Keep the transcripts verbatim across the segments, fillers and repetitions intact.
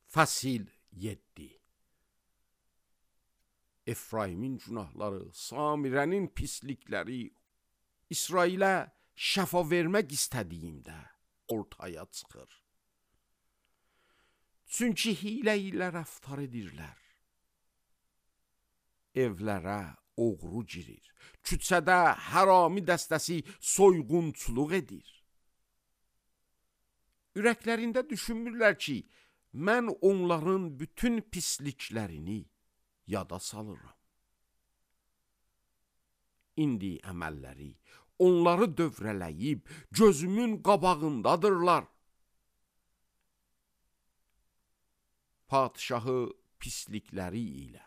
Fəsil yeddi. Efraimin günahları, Samirənin pislikləri, İsrailə şəfa vermək istədiyimdə ortaya çıxır. Çünki hilə ilə rəftar edirlər. Evlərə oğru girir, küçədə hərami dəstəsi soyğunçuluq edir. Ürəklərində düşünmürlər ki, mən onların bütün pisliklərini yada salıram. İndi əməlləri onları dövrələyib gözümün qabağındadırlar. Padişahı pislikləri ilə,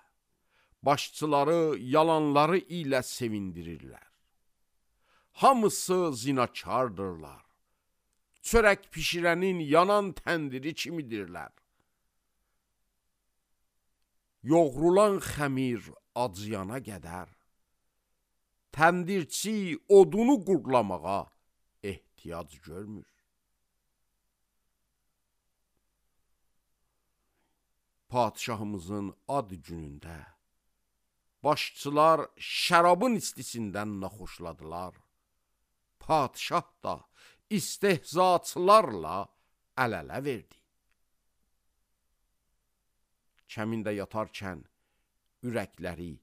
başçıları yalanları ilə sevindirirlər. Hamısı zinakardırlar. Çörək pişirənin yanan təndiri kimidirlər. Yoğrulan xəmir acıyana qədər, təndirçi odunu qurlamağa ehtiyac görmür. Padişahımızın ad günündə başçılar şərabın istisindən naxoşladılar. Padişah da istehzaçılarla əl-ələ verdi. Kəmində yatarkən ürəkləri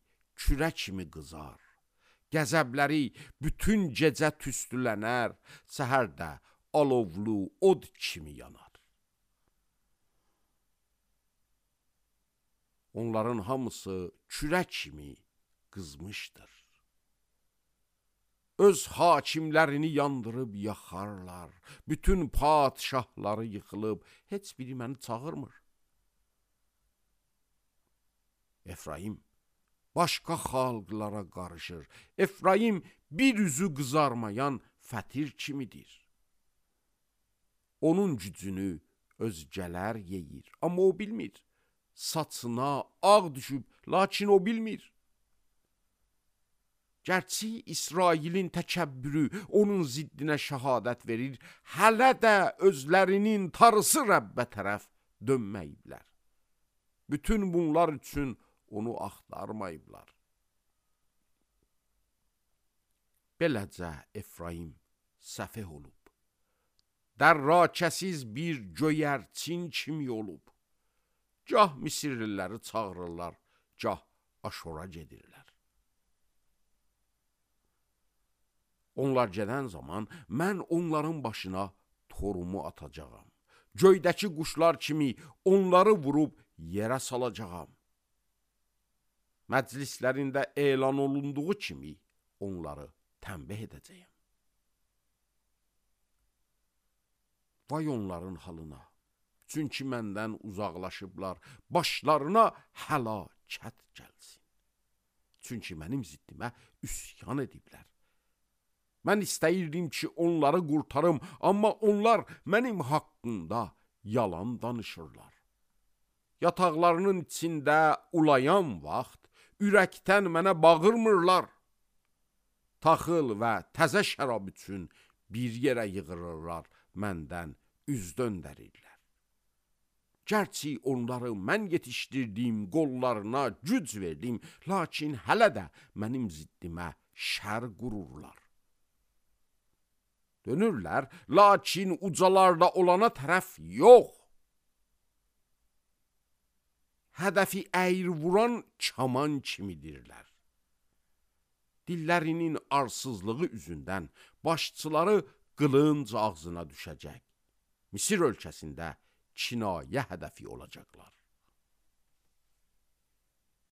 kürə kimi qızar, qəzəbləri bütün gecə tüstülənər, səhərdə alovlu od kimi yanar. Onların hamısı kürə kimi qızmışdır. Öz hakimlərini yandırıb yaxarlar, bütün padişahları yıxılıb, heç biri məni çağırmır. Efraim başqa xalqlara qarışır. Efraim bir üzü qızarmayan fətir kimidir. Onun gücünü özgələr yeyir, amma o bilmir. Saçına ağ düşüb, lakin o bilmir. Gərçi İsrailin təkəbbürü onun ziddinə şəhadət verir, hələ də özlərinin tarısı Rəbbə tərəf dönməyiblər. Bütün bunlar üçün onu axtarmayıblar. Beləcə Efraim səfeh olub, dərrakəsiz bir göyərçin kimi olub. Gah Misirliləri çağırırlar, gah Aşora gedirlər. Onlar gedən zaman mən onların başına torumu atacağam. Göydəki quşlar kimi onları vurub yerə salacağam. Məclislərində elan olunduğu kimi onları tənbih edəcəyəm. Vay onların halına, çünki məndən uzaqlaşıblar, başlarına həlakət gəlsin. Çünki mənim ziddimə üsyan ediblər. Mən istəyirdim ki, onları qurtarım, amma onlar mənim haqqımda yalan danışırlar. Yataqlarının içində ulayan vaxt, ürəkdən mənə bağırmırlar. Taxıl və təzə şərab üçün bir yerə yığırırlar, məndən üz döndərirlər. Gərçi onları mən yetişdirdiyim qollarına güc verdim, lakin hələ də mənim ziddimə şər qururlar. Dönürlər, lakin ucalarda olana tərəf yox. Hədəfi əyri vuran kaman kimidirlər. Dillərinin arsızlığı üzündən başçıları qılınc ağzına düşəcək. Misir ölkəsində kinayə hədəfi olacaqlar.